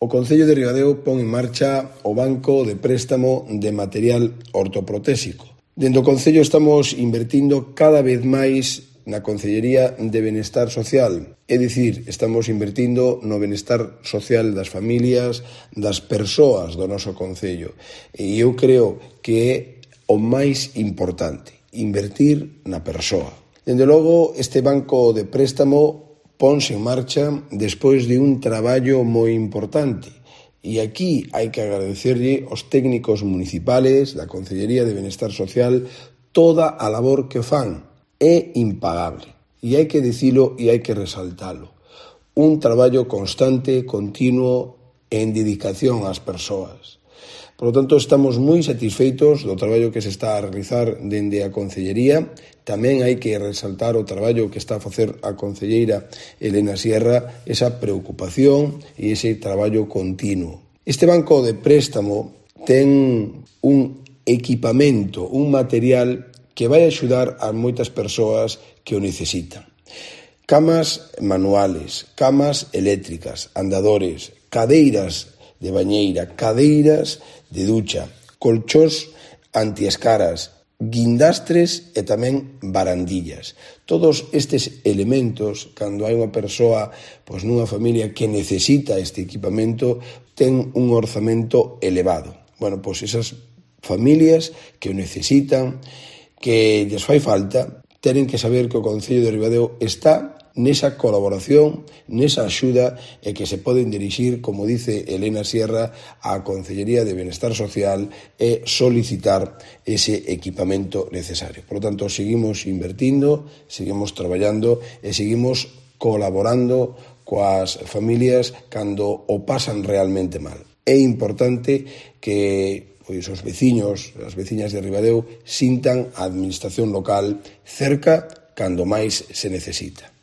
O Concello de Ribadeo pon en marcha o Banco de Préstamo de Material Ortoprotésico. Dentro do Concello estamos invertindo cada vez máis na Concellería de Benestar Social. É dicir, estamos invertindo no benestar social das familias, das persoas do noso Concello. E eu creo que é o máis importante, invertir na persoa. Dende logo, este banco de préstamo ponse en marcha despois de un traballo moi importante. E aquí hai que agradecerlle aos técnicos municipales da Concellería de Benestar Social toda a labor que fan. É impagable. E hai que dicilo e hai que resaltalo. Un traballo constante, continuo, en dedicación ás persoas. Por lo tanto, estamos moi satisfeitos do traballo que se está a realizar dende a Concellería. Tamén hai que resaltar o traballo que está a facer a concelleira Elena Sierra, esa preocupación e ese traballo continuo. Este banco de préstamo ten un equipamento, un material que vai axudar a moitas persoas que o necesitan. Camas manuales, camas eléctricas, andadores, cadeiras de bañeira, cadeiras de ducha, colchós antiescaras, guindastres e tamén barandillas. Todos estes elementos, cando hai unha persoa nunha familia que necesita este equipamento, ten un orzamento elevado. Esas familias que o necesitan, que lles fai falta, tenen que saber que o Concello de Ribadeo está nesa colaboración, nesa axuda e que se poden dirixir, como dice Elena Sierra, á Concellería de Benestar Social e solicitar ese equipamento necesario. Por lo tanto, seguimos invertindo, seguimos traballando e seguimos colaborando coas familias cando o pasan realmente mal. É importante que os veciños, as veciñas de Ribadeo sintan a administración local cerca cando máis se necesita.